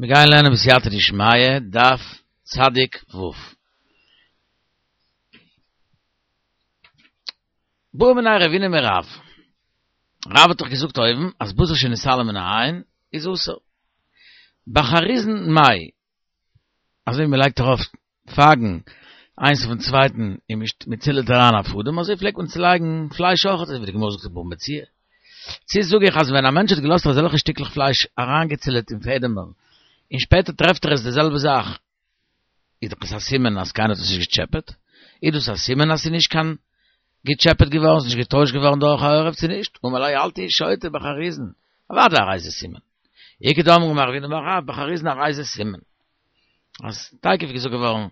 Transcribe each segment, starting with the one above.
מיר גייען לערנען בסייעתא דשמיא, דף צדיק ו'. בעא מיניה רבינא מרב. רב האט דאך געזאגט אויבן אז בשר שנתעלם מן העין איז אסור. בחריזין מאי, אזוי ווי מען לייגט ארויף פייגן איינס אויפן צווייטן און מען צילעט אריין א פאדעם, אזוי פלעגט מען צולייגן פלייש אויך, אזוי ווי די גמרא זאגט אין בבא מציעא. צו זאג איך אז ווען א מענטש האט געלאזט אזעלכע שטיקלעך פלייש אריינגעצילעט אין פעדעמער און שפעטער טרעפט ער עס די זעלבע זאך, איז דאך עס א סימן אז קיינער האט עס נישט געטשעפעט? איז דאס א סימן אז ס'איז נישט קיין געטשעפעט געווארן, ס'איז נישט געטוישט געווארן דורך א עורב צו נישט? אמר ליה אל תהי שוטה בחריזין, אוודאי הרי זה סימן. איכא דאמרי אמר רב הונא אמר רב בחריזין הרי זה סימן. אז תיכף געזאגט געווארן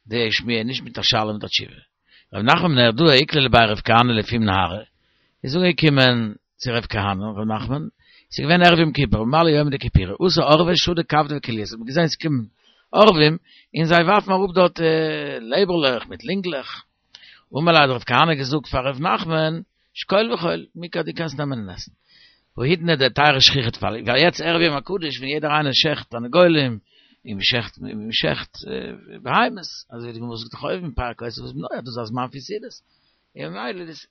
די שמועה נישט מיט א שאלה מיט א תשובה. רב נחמן מנהרדעא איקלע לבי רב כהנא לפום נהרא, איז אנגעקומען צו רב כהנא, רב נחמן, ס'איז געווען ערב יום כיפור, ממלא יומא דכיפורי, אתו עורבי שדו כבדי וכליות, האט מען געזען ס'קומען עורבים און זיי ווארפן אראפ דארט לעבערלעך מיט לינגלעך, אמר ליה האט רב כהנא געזאגט פאר רב נחמן, שקול ואכול, מעיקרא דו קענסט נעמען און עסן. האידנא דהיתירא שכיחא טפי, ווייל יעצט ערב יום הקדוש ווען יעדער איינער שעכט תרנגולים, און מ'שעכט מ'שעכט בהמות, אזוי ווי די גמרא זאגט דאך אויבן פרק אותו ואת בנו אז דאס איז א זמן פון סעודות, און ממילא איז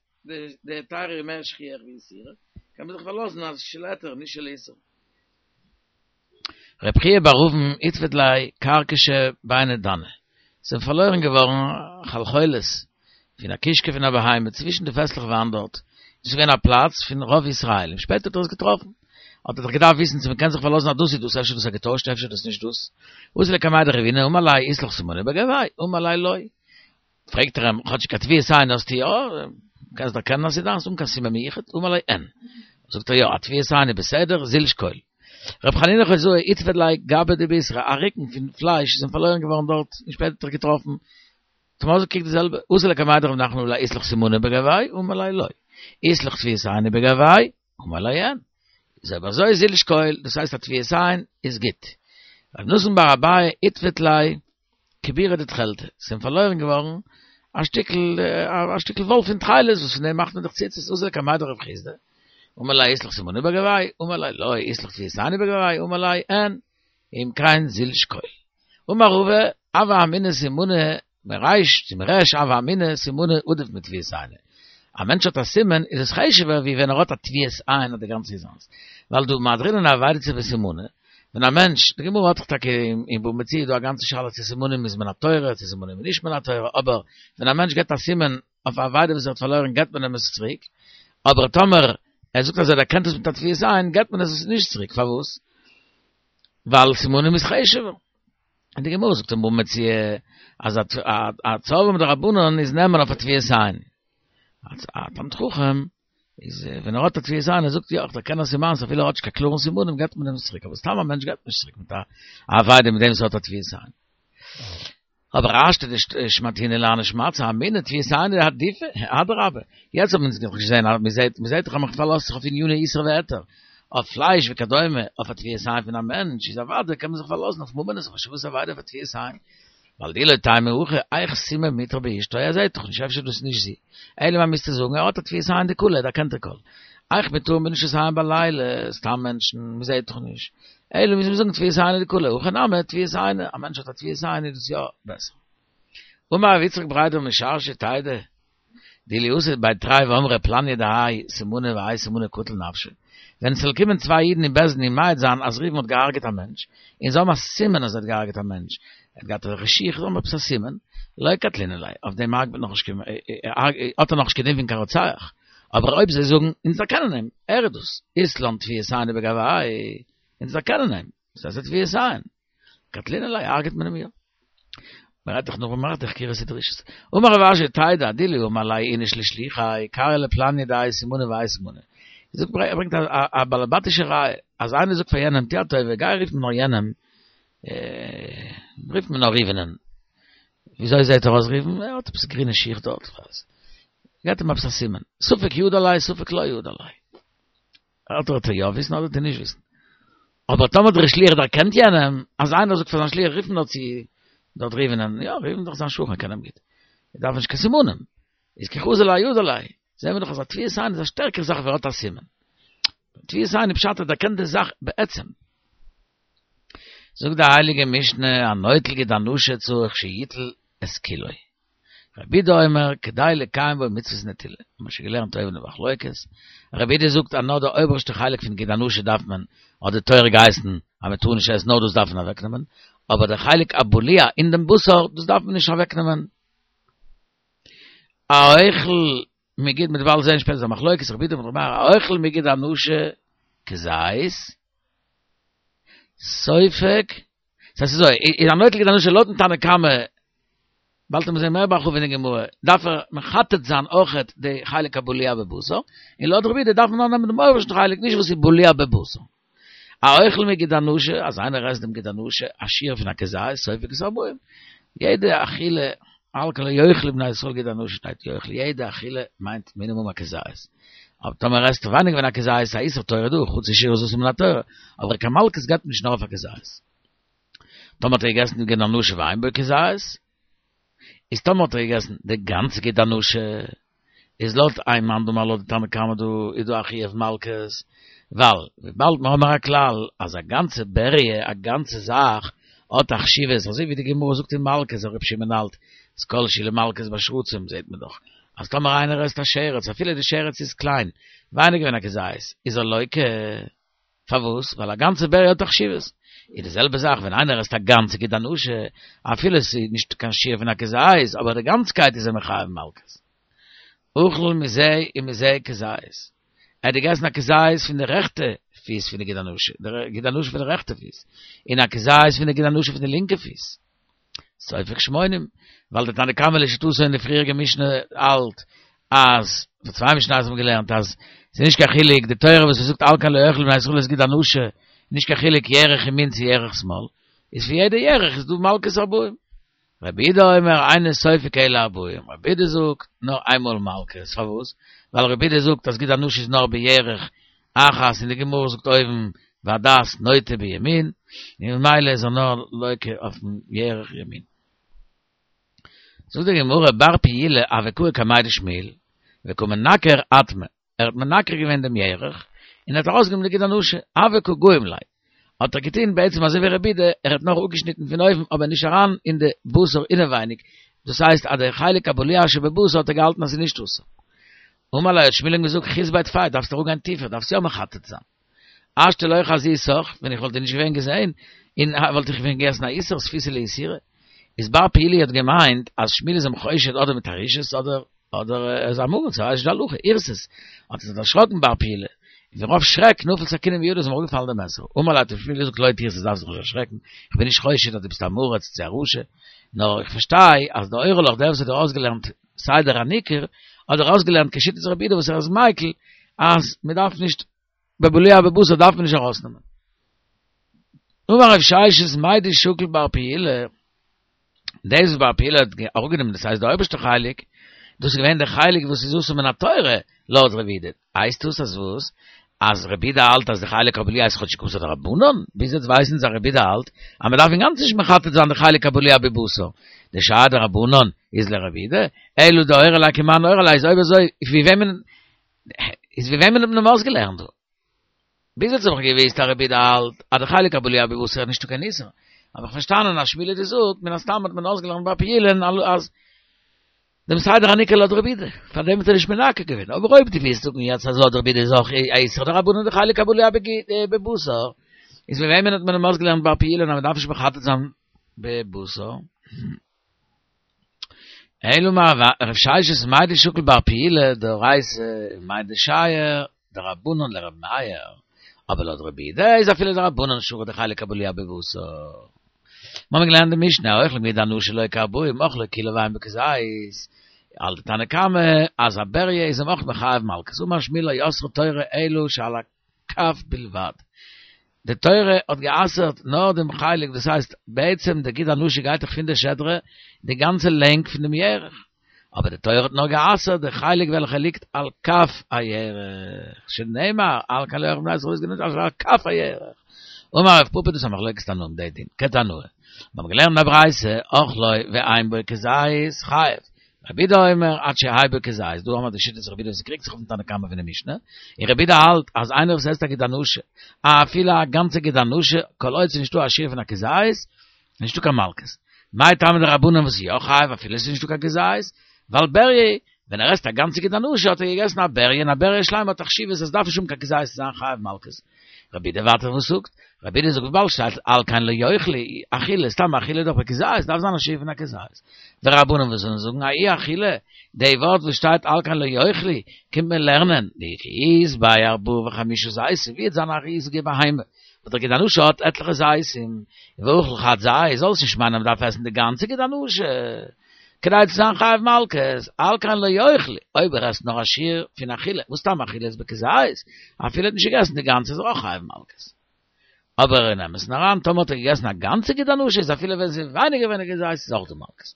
די היתירא מער שכיח ווי איסורא, קען מען זיך פארלאזן אז של היתר נישט של איסור. רבי חייא בר אבין איתפד ליה כרכשא ביני דני, ס'זענען פארלוירן געווארן חלחולת פון א קישקע פון א בהמה צווישן די פעסלעך וויין דארט, דאס איז געווען א פלאץ פון רוב ישראלים, שפעטער האט ער עס געטראפן, האט ער דאך געדארפט וויסן צו מ'קען זיך פארלאזן אז דאס איז דאס, אפשר דאס האט געטוישט אפשר דאס נישט דאס, אתא לקמיה דרבינא אמר ליה אית לך סימנא בגויה, אמר ליה לא. פרעגט ער אים, כאטשיג א טביעת עין האסטו יא? קענסט דערקענען אז ס'איז דיינס אן קיין סימן מיוחד? אמר ליה אין. זאגט ער יא, א טביעת עין איז בסדר, זיל שקול. ר' חנינא חוזאה איתפד ליה גבא דבישרא, א רוקן פון פלייש איז אים פארלוירן געווארן דארט און שפעטער האט ער געטראפן. האט אים אויסגעקוקט די זעלבע, אתא לקמיה דרב נחמן אמר ליה אית לך סימנא בגויה? אמר ליה לא. אית לך טביעת עינא בגויה? אמר ליה אין. איז אויב אזוי זיל שקול, דאס הייסט א טביעת עין איז גוט. רב נתן בר אביי איתפד ליה כבירא דתכלתא, ס'איז אים פארלוירן געווארן א שטיקל א שטיקל וואל פון תכלת וואס פון דעם מאכט מען דאך ציצית, אתא לקמיה דרב חסדא, אמר ליה אית לך סימנא בגויה, אמר ליה לא, אית לך טביעת עינא בגויה, אמר ליה אין, אם כן זיל שקול. אמר רבא, הוה אמינא סימנא מריש צו מריש הוה אמינא סימנא עדיף מטביעת עינא. א מענטש האט א סימן איז עס חשוב'ער ווי ווען ער האט א טביעת עין אז די גאנצע איז זיינס. ווייל דהא מהדרינן אבידה בסימנא, ווען א מענטש, די גמרא האט דאך טאקע אין בבא מציעא דא א גאנצע שאלה צו סימנים איז מן התורה צו סימנים איז נישט מן התורה, אבער ווען א מענטש געבט א סימן אויף א אבידה וואס ער האט פארלוירן געבט מען אים עס צוריק, אבער טאמער ער זאגט אז ער דערקענט עס מיט א טביעת עין געבט מען עס נישט צוריק, פארוואס? ווייל סימנים איז חשוב'ער. און די גמרא זאגט אין בבא מציעא אז א צורבא מדרבנן איז נאמן אויף א טביעת עין. א תלמיד חכם איז ווען ער האט א טביעת עין ער זאגט יא איך דערקען אז ס'איז מיינס אפילו ער האט נישט קיין קלארן סימנים געבט מען אים עס צוריק אבער סתם א מענטש געבט נישט צוריק מיט א אבידה מיט דעם וואס ער האט א טביעת עין. אבער השתא דשמעתינן להני שמעתתא אמינא טביעת עינא עדיפא אדרבה יעצט האט מען דאך געזען אז מ'זעט מ'זעט דאך אז מ'פארלאזט זיך אויף עניני איסור והיתר אויף פלייש וכדומה אויף א טביעת עין פון א מענטש איז אוודאי קען מען זיך פארלאזן אויף ממונות אויף השבת אבידה אויף א טביעת עין ווייל דאי לא תימא הכי היאך סימן מיטרא באשתו ער זעט דאך נישט אפשר דאס איז נישט זי אלא מאי מוזטו זאגן ער האט א טביעת עין דקלא ער דערקענט די קול היאך מיטרא בנשות עין בלילה סתם מענטשן מ'זעט דאך נישט אלא מוז מען זאגן טביעת עינא דקלא, הכא נמי טביעת עינא, א מענטש האט א טביעת עין איז דאס יא בעסער. אמר רב יצחק בריה דרב משרשיא תדע דאילו אתו בי תרי ואמרי פלניא דהאי סימנא והאי סימנא קטיל נפשא, ווען עס זאל קומען צוויי אידן אין בית דין און מעיד זיין אז ראובן האט געהארגעט א מענטש, און זיי האבן א סימן אז ער האט געהארגעט א מענטש, ער האט געהאט אזעלכע שיך, זיי האבן עפעס א סימן, לא קטלינן ליה, אויף דעם הרג'ט מען נאכנישט קיין, האט ער נאכנישט קיין דין פון קיין רוצח. אבער אויב זיי זאגן, אונז דערקענען אים, ער איז דאס, אית לן טביעת עינא בגויה, אונז דערקענען אים, דאס הייסט א טביעת עין, קטלינן ליה, הרג'ט מען אים יא. מען רעדט דאך נאך מען מאכט די חקירות ודרישות. אמר רב אשי תדע דאילו אמר ליה איניש לשלוחיה, קרי לפלניא דהאי סימנא והאי סימנא. זאגט ער ברענגט א באלעבאטישע ראיה, אז איינער זאגט פאר יענעם טו א טובה גיי רוף מיר נאר יענעם, רוף מיר נאר ראובנ'ען. וויאזוי זעט ער אויס ראובן? ער האט עפעס גרינע שיך דארט, כ'ווייס. געט אים עפעס א סימן. ספק ידע ליה ספק לא ידע ליה. אדער וועט ער יא וויסן אדער וועט ער נישט וויסן. אבער טאמער דער שליח דערקענט יענעם, אז איינער זאגט פאר זיין שליח רוף נאר צו דארט ראובנ'ען, יא ראובן איז דאך זיין שכן קען אים גוט. ער דארף נישט קיין סימנים. איז כי חזי ליה ידע ליה. זעהן מיר דאך אז א טביעת עין איז א שטערקערע זאך ווי ער האט א סימן. טביעת עין איז פשט ער דערקענט די זאך בעצם. זאגט די הייליגע משנה, הנוטל גיד הנשה צריך שיטול את כולו. רבי יהודה אומר, כדי לקיים בו מצוות נטילה. האבן מיר שוין געלערנט אויבן די מחלוקת. רבי יהודה זאגט אז נאר די אויבערשטע חלק פון גיד הנשה דארף מען, האט די תורה געהייסן אז מען טאר נישט עסן נאר דאס דארף מען אוועקנעמען, אבער די חלק הבולע אין דעם בשר, דאס דארף מען נישט אוועקנעמען. האוכל מגיד מ'וועט באלד זען שפעטער א מחלוקת רבי יהודה מיט רבי מאיר האוכל מגיד הנשה כזית סופג ס'הייסט אזוי איז הנוטל גיד הנשה לויטן תנא קמא באלד וועט מען זען מער בהרחבה אין די גמרא דארף ער מחטט זיין אויכעט די חלק הבולע בבשר און לויט רבי יהודה דארף מען נאר נעמען דעם אויבערשטן חלק נישט וואס איז בולע בבשר האוכל מגיד הנשה אז איינער עסט דעם גיד הנשה א שיעור פון א כזית סופג את הארבעים יעדע אכילה על כן לא יאכלו בני ישראל גיד הנשה שטייט יאכלו יעדע אכילה מיינט מינימום א כזית אבער טאמער עסט ווייניגער ווי א כזית איז א איסור תורה דא חוץ שיעור איז אסור מן התורה אבער קיין מלקות גייט מען נישט נאר אויף א כזית טאמער האט ער געגעסן די גיד הנשה ואין בו כזית איז טאמער האט ער געגעסן די גאנצע גיד הנשה איז לויט איין מאן דאמר לויט די תנא קמא דא איז דא א חיוב מלקות, ווייל וויבאלד מיר האבן א כלל אז א גאנצע בריה א גאנצע זאך האט א חשיבות אזוי ווי די גמרא זאגט אין מלקות אז רבי שמעון האלט אז כל שהוא למלקות בשרצים זעט מען דאך אז טאמער איינער עסט א שרץ אפילו די שרץ איז קליין ווייניגער ווי א כזית איז ער לוקה. פארוואס? ווייל א גאנצע בריה האט א חשיבות. איז די זעלבע זאך ווען איינער עסט א גאנצע גיד הנשה, אפילו עס איז נישט קיין שיעור פון א כזית, אבער די גאנצקייט איז ער מחייב מלקות. אכל מזה ומזה כזית. ער האט געגעסן א כזית פון די רעכטע פיס פון די גיד הנשה, די גיד הנשה פון די רעכטע פיס, און א כזית פון די גיד הנשה פון די לינקע פיס. סופג שמונים, ווייל דער תנא קמא לשיטתו אין די פריעריגע משנה האלט אז, פאר צוויי משניות האט מען געלערנט אז ס'איז נישט קיין חילוק די תורה וואס זאגט על כן לא יאכלו בני ישראל את גיד הנשה, נישט קיין חילוק ירך ימין צו ירך שמאל, איז פון יעדע ירך איז דא מלקות ארבעים. רבי יהודה אומר אינו סופג אלא ארבעים, רבי יהודה זאגט נאר איינמאל מלקות, פארוואס? ווייל רבי יהודה זאגט אז גיד הנשה איז נאר בירך אחת און די גמרא זאגט אויבן והדעת נוטה בימין, און ממילא איז ער נאר לוקה אויפן ירך ימין. זאגט די גמרא בר פעילה הוה קאי קמיה דשמואל וקא מנקר אטמא, ער האט מנקר געווען דעם ירך און ער האט ארויסגענומען די גיד הנשה, הוה קא גאים ליה, האט ער געטון בעצם אזוי ווי רבי יהודה, ער האט נאר אפגעשניטן פון אויבן אבער נישט אריין אין די בשר אינעווייניג, דאס הייסט אז די חלק הבולע שבבשר האט ער געהאלטן אז ס'איז נישט אסור. אמר ליה האט שמואל אים געזאגט חית ביה טפי דארפסט אראפגיין טיפער דארפסט יא מחטט זיין. השתא לא חזיתך ווען איך וואלט דיר נישט געווען געזעהן און וואלט איך געווען געגעסן א איסור ספיתא לאיסורא. איז בר פעילה האט געמיינט אז שמואל איז אים חושד אדער מיט א רשעות אדער אדער ער איז עם הארץ ער ווייסט נישט די הלכה אירתת האט ער זיך דערשראקן בר פעילה און פון רוב שרעק נפל סכינא מידו איז אים אראפגעפאלן די מעסער אמר ליה האט אים שמואל געזאגט לא תירתת דארפסט זיך נישט דערשרעקן איך בין נישט חושד אז דו ביסט א עם הארץ צו א רשע נאר איך פארשטיי אז דאורי לך דער וואס האט דיר אויסגעלערנט סדר הניקור האט דיר אויסגעלערנט כשיטת רבי יהודה וואס ער איז מיקל אז מען דארף נישט בבולע בבשר דארף מען נישט ארויסנעמען. אמר רב ששת מאי דשקיל בר פעילה, דאס וואס בר פעילה האט אראפגענומען דאס הייסט די אויבערשטע חלק, דאס איז געווען די חלק וואס איז אסור מן התורה לויט רבי יהודה, הייסט דאס אז וואס? אז רבי יהודה האלט אז די חלק הבולע איז כאטשיג אסור דרבנן? ביז יעצט ווייסן אונז אז רבי יהודה האלט אז מען דארף אינגאנצן נישט מחטט זיין די חלק הבולע בבשר, דשאר דרבנן איז לרבי יהודה, אלא דאורי ליה כמאן אורי ליה איז אויב אזוי ווי וועמען איז ווי וועמען האט מען אים אויסגעלערנט דא? ביז יעצט האב איך געוויסט אז רבי יהודה האלט אז די חלק הבולע בבשר איז נישטא קיין איסור, האב איך פארשטאנען אז שמואל האט געזאגט מן הסתם האט מען אויסגעלערנט בר פעילה'ן אז דעם סדר הניקור לויט רבי יהודה, פאר דעם האט ער נישט מנקר געווען, אבער אויב דו ווילסט זאגן יעצט אז לויט רבי יהודה איז אויך א איסור דרבנן די חלק הבולע בבשר, איז ווי וועמען האט מען אים אויסגעלערנט בר פעילה'ן אז מען דארף נישט מחטט זיין בבשר? אלא אמר רב ששת מאי דשקיל בר פעילה דאורייתא מאי דשייר דרבנן לרבי מאיר, אבער לויט רבי יהודה איז אפילו דרבנן שרי די חלק הבולע בבשר. מיר האבן געלערנט די משנה, האוכל מגיד הנשה לוקה ארבעים, אכלה כולה ואין בו כזית, האלט די תנא קמא אז א בריה איז אים אויך מחייב מלקות, אמר שמואל לא אסרה תורה אלא שעל הכף בלבד. די תורה האט גע'אסר'ט נאר דעם חלק, דאס הייסט בעצם די גיד הנשה גייט דאך פון די שדרה די גאנצע לענג פון דעם ירך, אבער די תורה האט נאר גע'אסר'ט די חלק וועלכע ליגט על כף הירך, שנאמר על כן לא יאכלו בני ישראל את גיד הנשה אשר על כף הירך. אמר רב פפא דאס איז א מחלוקת תנאים די דין, כתנאי. מיר האבן געלערנט אין א ברייתא, אכלו ואין בו כזית חייב. רבי יהודה אומר עד שיהא בו כזית, דא האמער די שיטת רבי יהודה וואס קריגט זיך אויפן תנא קמא פון די משנה, און רבי יהודה האלט אז איינער וואס עסט א גיד הנשה, אפילו א גאנצע גיד הנשה, כל עוד ס'איז נישטא א שיעור פון א כזית, איז נישטא קיין מלקות. מאי טעמא דרבנן וואס איז יא חייב אפילו ס'איז נישטא קיין כזית, ווייל בריה, ווען ער עסט א גאנצע גיד הנשה האט ער געגעסן א בריה און א בריה שלימה האט א חשיבות אז ס'דארף נישט האבן קיין כזית צו זיין חייב מלקות. רבי יהודה ווייטער וואס זאגט? רבי יהודה זאגט וויבאלד שטייט על כן לא יאכלו, אכילה, סתם אכילה איז דאך בכזית, דארף זיין א שיעור פון א כזית. ורבנן וואס זאלן זאגן ההיא אכילה, די ווארט וואס שטייט על כן לא יאכלו, קומט מען לערנען, דאי כי אית ביה ארבעה וחמישה זיתים, ווי וועט זיין א ריזיגע בהמה, וואס דער גיד הנשה האט עטליכע זיתים, ואכיל חד זית, זאל עס נישט מיינען אז מען דארף עסן די גאנצע גיד הנשה. כדי צו זיין חייב מלקות, על כן לא יאכלו, אויב ער עסט נאר א שיעור פון אכילה, וואס סתם אכילה איז בכזית, אפילו ער האט נישט געגעסן די גאנצע איז ער אויך חייב מלקות. אבער אין אמת'ן אריין, טאמער האט ער געגעסן א גאנצע גיד הנשה איז אפילו ווען ס'איז ווייניגער ווי א כזית איז אויך דא מלקות.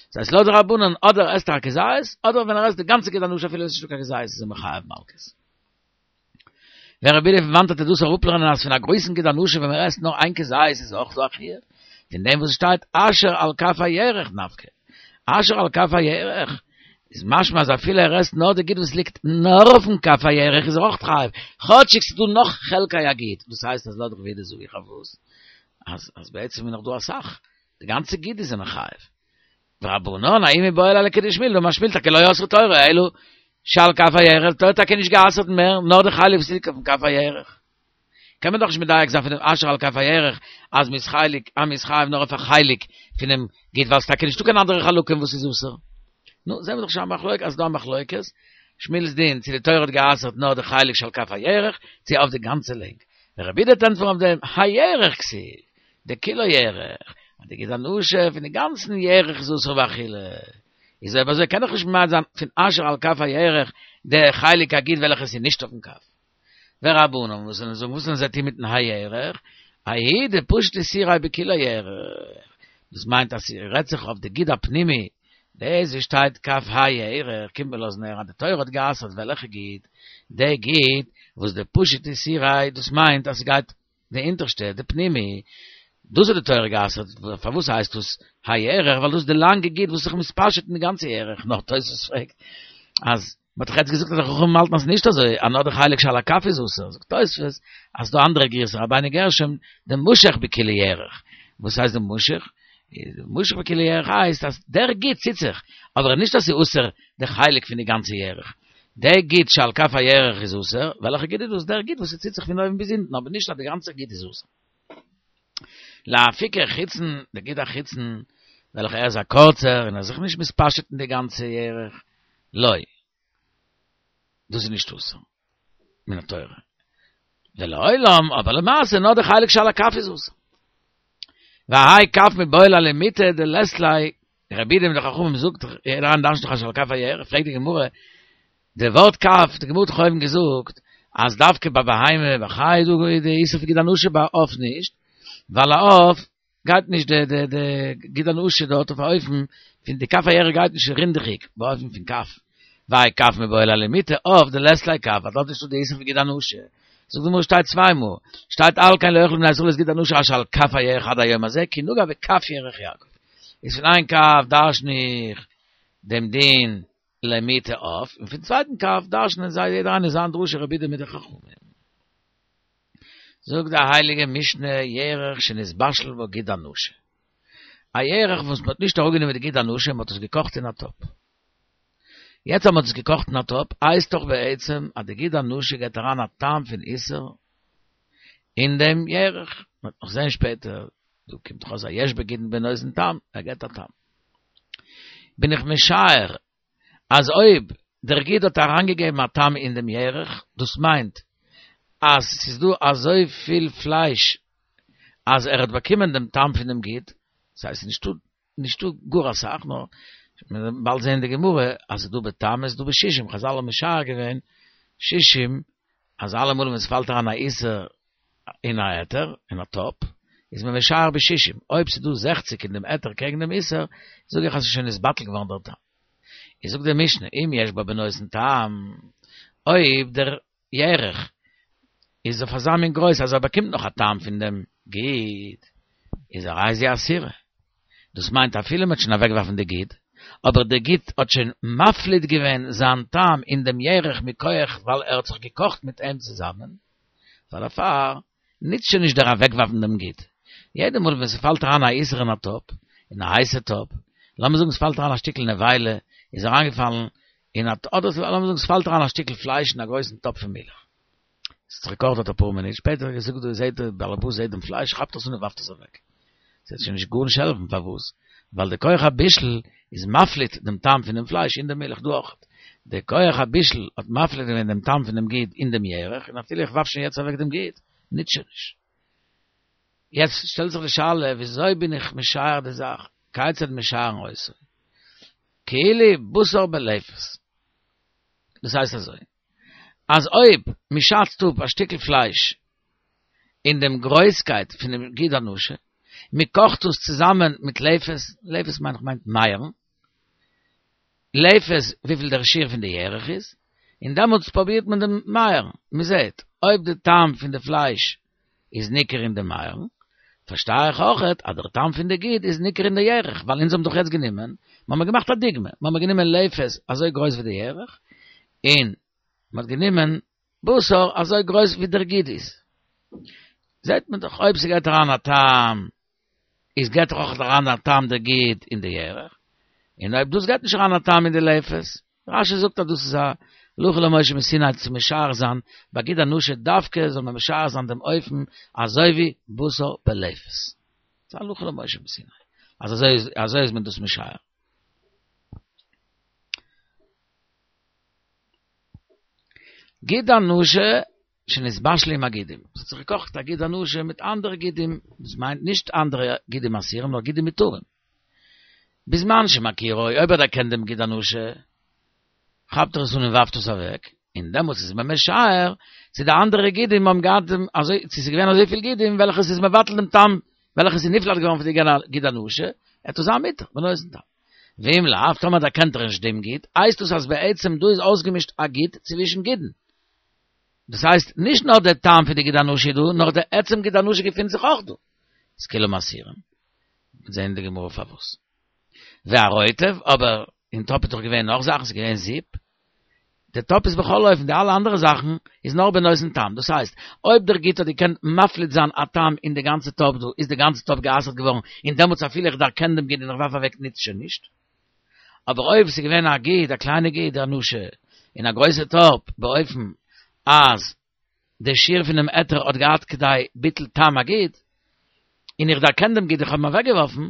דאס הייסט לויט די רבנן אדער עסט ער א כזית, אדער ווען ער עסט די גאנצע גיד הנשה אפילו עס איז נישטא קיין כזית איז ער מחויב מלקות. ורבי יהודה פון וואנעט וועט ער דאס אראפלערנען אז פון א גרויסן גיד הנשה ווען מען עסט נאר איין כזית איז אויך דא א חיוב, פון דעם וואס שטייט אשר על כף הירך נפקא, אשר על כף הירך, איז משמע אז אפילו ער עסט נאר די גיד וואס ליגט נאר אויפן כף הירך איז ער אויך חייב, כאטשיג ס'איז דא נאך חלקי הגיד, דאס הייסט אז לויט רבי יהודה זאג איך אויף וואס? אז אז בעצם איז נאך דא אסאך, די גאנצע גיד איז ער מחויב. ורבנן, ההוא מיבעי ליה לכדשמואל, דאמר שמואל טאקע לא אסרה תורה, אלא שעל כף הירך, תורה האט טאקע נישט גע'אסר'ט מער, נאר די חלק וואס ליגט אויפן כף הירך. קען מען דאך נישט מדייק זיין פון דעם אשר על כף הירך אז מ'איז חלק, אז מ'איז חייב נאר אויף א חלק פונעם גיד ווייל ס'טאקע נישטא קיין אנדערע חלקים וואס איז אסור. נו, זעהן מיר דאך שוין א מחלוקת אז ס'דא א מחלוקת, שמואל'ס דין צו די תורה האט גע'אסר'ט נאר די חלק שעל כף הירך, צו אויף די גאנצע לענג. ורבי יהודה וועט ענטפערן אויף דעם, הירך כתיב, דכולו ירך, אז די גיד הנשה פון די גאנצן ירך איז אסור באכילה. איז אויב אזוי קען איך נישט ממעט זיין פון אשר על כף הירך די חלק הגיד וועלכעס איז נישט אויפן כף. ורבנן וואס זאלן זאגן וואס זאלן זיי טון מיטן הירך? ההוא דפשיט איסוריה בכולו ירך. דאס מיינט אז ס'רעדט זיך אויף די גיד הפנימי, דאס וואס שטייט כף הירך קומט מען לאזן הערן אז די תורה האט גע'אסר'ט וועלכע גיד? די גיד וואס דפשיט איסוריה דאס מיינט אז ס'גייט די אונטערשטע, די פנימי, דאס האט די תורה גע'אסר'ט, פארוואס הייסט דאס הירך, ווייל דאס איז די לאנגע גיד וואס איז זיך מתפשט אין די גאנצע ירך, נאר תוספות פרעגט אז מען האט דאך יעצט געזאגט אז די חכמים האלטן אז נישט אזוי, אז נאר די חלק שעל הכף איז אסור, זאגט תוספות אז ס'דא אנדערע גירסא, רבינו גרשום, דמשך בכולו ירך, וואס הייסט דמשך? דמשך בכולו ירך הייסט אז דער גיד ציט זיך, אבער נישט אז ס'איז אסור די חלק פון די גאנצע ירך. דער גיד שעל כף הירך איז אסור, וועלכע גיד איז דאס? דער גיד וואס ס'ציט זיך פון אויבן ביז אונטן, אבער נישט אז די גאנצע גיד איז אסור. לאפוקי חיצון, דער גיד החיצון, וועלכע ער איז א קורצער און ער איז זיך נישט מתפשט אין די גאנצע ירך, לא. דאס איז נישט אסור מן התורה. ולעולם, אבער למעשה נאר די חלק שעל הכף איז אסור. והאי כף מיבעי ליה למטה דלית ליה רבי יהודה מיט די חכמים זאגט יעדער איינער דרש'נט דאך אשר על כף הירך, פרעגט די גמרא, די ווארט כף, די גמרא האט דאך אויבן געזאגט אז דווקא ביי בהמה וחיה איז דא די איסור פון גיד הנשה ביי עוף נישט, ווייל א עוף גייט נישט די די די גיד הנשה דארט אויף א אופן פון די כף הירך גייט נישט רינדעכיג באופן פון כף, והאי כף מיבעי ליה למטה עוף דלית ליה כף, ווייל דארט איז נישטא די איסור פון גיד הנשה. זאגט די גמרא שטייט צוויי מאל, שטייט על כן לא יאכלו בני ישראל את גיד הנשה אשר על כף הירך עד היום הזה, כי נגע בכף ירך יעקב. איז פון איין כף דרשן איך דעם דין למטה עוף, און פון צווייטן כף דרשנען זיי יעדער איינער זיין דרשה רבי יהודה מיט די חכמים. זאגט די הייליגע משנה ירך שנתבשל בו גיד הנשה. א ירך וואס מען האט נישט אראפגענומען די גיד הנשה, מען האט עס געקאכט אין א טאפ. יעצט אז מען האט עס געקאכט אין א טאפ, הייסט דאך בעצם אז די גיד הנשה געבט אריין א טעם פון איסור אין דעם ירך, מען וועט נאך זען שפעטער, דא קומט דאך אויס א יש בגידין בנותן טעם, ער געבט א טעם. בין איך משער אז אויב דער גיד האט אריינגעגעבן א טעם אין דעם ירך, דאס מיינט אז ס'איז דא אזויפיל פלייש אז ער האט באקומען דעם טעם פון דעם גיד, ס'הייסט נישטא נישטא גאר אסאך, נאר מיר וועלן באלד זעהן אין די גמרא אז ס'איז דא בתם איז דא בשישים, חזל האבן משער געווען שישים אז אלעמאל ווען ס'פאלט אריין א איסור אין א היתר, אין א טאפ, איז מען משער בשישים, אויב ס'איז דא זעכציק אין דעם היתר קעגן דעם איסור, זאג איך אז ס'איז שוין נתבטל געווארן דער טעם. איז זאגט די משנה, אם יש בו בנותן טעם, אויב דער ירך איז אויף אזא מין גרויס אז ער באקומט נאך א טעם פון דעם גיד, איז הרי זו אסורה. דאס מיינט אפילו מ'האט שוין אוועקגעווארפן די גיד, אבער דער גיד האט שוין מפליט געווען זיין טעם אין דעם ירך מכח ווייל ער האט זיך געקאכט מיט אים צוזאמען, פאר דערפאר ניצט שוין נישט דער אוועקווארפן דעם גיד. יעדע מאל ווען ס'פאלט אריין א איסור אין א טאפ, אין א הייסע טאפ, לאמיר זאגן ס'פאלט אריין א שטיקל נבילה, איז אריינגעפאלן אין א, אדער לאמיר זאגן ס'פאלט אריין א שטיקל פלייש אין א גרויסן טאפ פון מילך. ס'האט זיך געקאכט דארט אפאר מינוט, שפעטער געזאגט דא זעהט דער באלעבאס זעהט דעם פלייש כאפט עס אן און ווארפט עס אוועק. ס'וועט שוין נישט גארנישט העלפן, פארוואס? ווייל די כח הבישול איז מפליט דעם טעם פונעם פלייש אין די מילך דא אויך. די כח הבישול האט מפליט געווען דעם טעם פונעם גיד אין דעם ירך, און אפילו איך ווארף שוין יעצט אוועק דעם גיד, ניצט שוין נישט. יעצט שטעלט זיך די שאלה, וויאזוי בין איך משער די זאך? כיצד משערין אותו? כאילו בשר בלפת. דאס הייסט אזוי, אז אויב מ'שאצט אפ א שטיקל פלייש אין דעם גרויסקייט פונעם גיד הנשה, מ'קאכט עס צוזאמען מיט לפת, לפת מיין איך מיינט מייערן, לפת וויפיל דער שיעור פון די ירך איז, און דעמאלטס פרובירט מען דעם מייערן, מ'זעט אויב די טעם פון די פלייש איז ניכר אין די מייערן, פארשטיי איך אויכעט אז דער טעם פון די גיד איז ניכר אין די ירך, ווייל אונז האבן דאך יעצט גענומען, מ'האמיר געמאכט א דוגמא, מ'האמיר גענומען לפת אזוי גרויס ווי די ירך, און מ'האט גענומען בשר אזוי גרויס ווי דער גיד איז. זעט מען דאך אויב ס'גייט אריין א טעם, איז גייט דאך אויך אריין א טעם דער גיד אין די ירך, און אויב דאס גייט נישט אריין א טעם אין די לפת, רש"י זאגט אז דאס איז א הלכה למשה מסיני צו משער זיין ביי גיד הנשה דווקא זאל מען משער זיין דעם אופן אזוי ווי בשר בלפת. ס'איז א הלכה למשה מסיני אז אזוי אזוי איז מען דאס משער. גיד הנשה שנתבשל עם הגידים, ס'האט זיך געקאכט א גיד הנשה מיט אנדערע גידים, דאס מיינט נישט אנדערע גידים אסורים נאר גידים מותרים. בזמן שמכירו, אויב ער דערקענט דעם גיד הנשה, כאפט ער עס אן און ווארפט עס אוועק, און דעמאלטס איז מען משער צו די אנדערע גידים האבן געהאט דעם אזוי, צו ס'איז געווען אזויפיל גידים וועלכע ס'איז מבטל דעם טעם, וועלכע ס'איז נפלט געווארן פון די גיד הנשה, וועט עס זיין מותר, בנותן טעם. ואם לאו, טאמער דערקענט ער נישט דעם גיד, הייסט דאס אז בעצם דא איז אויסגעמישט א גיד צווישן גידין. דאס הייסט, נישט נאר דער טעם פון די גיד הנשה איז דא, נאר דער עצם גיד הנשה געפינט זיך אויך דא. איז כולם אסורים. מ'וועט זען אין די גמרא פארוואס. והרוטב, אבער אין טאפ איז דאך געווען נאך זאכן, ס'איז געווען זופ. די טאפ איז בכל אופן, די אלע אנדערע זאכן איז נאר בנותן טעם. דאס הייסט, אויב דער גיד האט געקענט מפליט זיין א טעם אין די גאנצע טאפ דא, איז די גאנצע טאפ גע'אסר'ט געווארן, און דעמאלטס אפילו איך דערקען דעם גיד און איך ווארף אוועק ניצט שוין נישט. אבער אויב ס'איז געווען א גיד, א קליינע גיד הנשה, אין א גרויסע טאפ, באופן אז די שיעור פונעם היתר האט געהאט כדי ביטול טעם הגיד, און איך דערקען דעם גיד איך האב אים אוועקגעווארפן,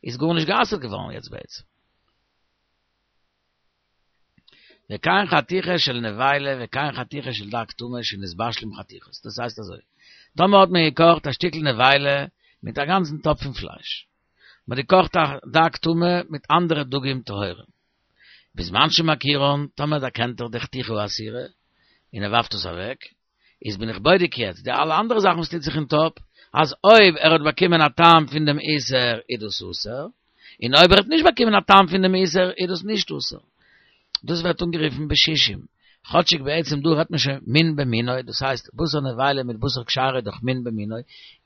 איז גארנישט גע'אסר'ט געווארן יעצט בעצם. וכן חתיכה של נבילה וכן חתיכה של דג טמא שנתבשל עם חתיכות, דאס הייסט אזוי, טאמער האט מען געקאכט א שטיקל נבילה מיט א גאנצן טאפ פון פלייש, מען האט געקאכט א דג טמא מיט אנדערע דגים טהורים, בזמן שמכירן, טאמער דערקענט ער די חתיכה האסורה, און ער ווארפט עס אוועק, איז בין איך בודק יעצט די אלע אנדערע זאכן וואס טוט זיך אין טאפ, אז אויב ער האט באקומען א טעם פון דעם איסור איז דאס אסור, און אויב ער האט נישט באקומען א טעם פון דעם איסור איז דאס נישט אסור. דאס ווערט אנגערופן בשישים, כאטשיג בעצם דא רעדט מען שוין מין במינו, דאס הייסט בשר נבילה מיט בשר כשרה איז דאך מין במינו,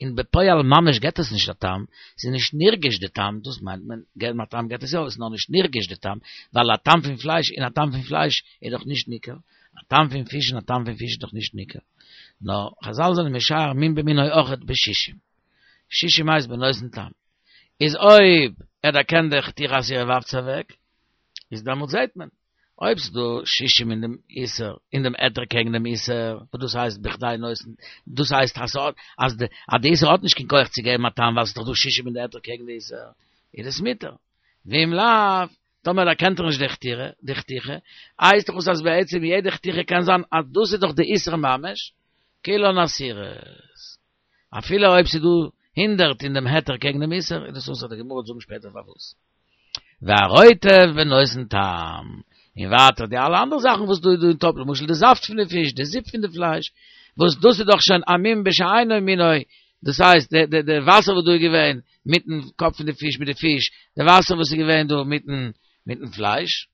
און בפועל ממש געט עס נישט א טעם, ס'איז נישט נרגש די טעם, דאס מיינט מען, געבן א טעם געט עס יא, אבער ס'איז נאר נישט נרגש די טעם, ווייל א טעם פון פלייש אין א טעם פון פלייש איז דאך נישט ניכר, א טעם פון פיש אין א טעם פון פיש איז דאך נישט ניכר. נאר חזל זענען משער מין במינו אויכעט בשישים. שישים הייסט בנותן טעם. איז אויב ער דערקענט די חתיכה אסורה ווארפט עס אוועק, איז דעמאלט זעהט מען. אויב ס'איז דא שישים אין דעם איסור, אין דעם היתר קעגן דעם איסור, וואס דאס הייסט בכדי נותן, דאס הייסט אז ס'האט, אז די, אז די איסור האט נישט קיין כח צו געבן א טעם ווייל ס'איז דאך דא שישים אין די היתר קעגן די איסור, איז עס מותר. ואם לאו, טאמער דערקענט ער נישט די חתירה, די חתיכה, הייסט דאך עס אז בעצם יעדע חתיכה קען זיין אז דאס איז דאך די איסור ממש, כולן אסורות. אפילו אויב ס'איז דא הונדערט אין דעם היתר קעגן דעם איסור, איז דאס אסור, די גמרא וועט זאגן שפעטער פארוואס. והרוטב בנותן טעם, און ווייטער די אלע אנדערע זאכן וואס דא איז דא אין טאפ, למשל די זאפט פון די פיש, די זופ פון די פלייש, וואס דאס איז דאך שוין א מין בשאינו מינו, דאס הייסט די די די וואסער וואס דא איז געווען מיטן קאפ פון די פיש מיט די פיש, די וואסער וואס איז געווען דא מיטן מיטן פלייש,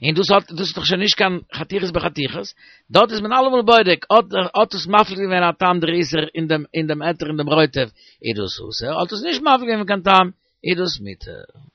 און דאס האט דאס איז דאך שוין נישט קיין חתיכות בחתיכות, דארט איז מען אלעמאל בודק, האט האט עס מפליט געווען א טעם דער איסור אין דעם אין דעם היתר אין דעם רוטב, איז דאס אסור, האט עס נישט מפליט געווען קיין טעם, איז דאס מותר.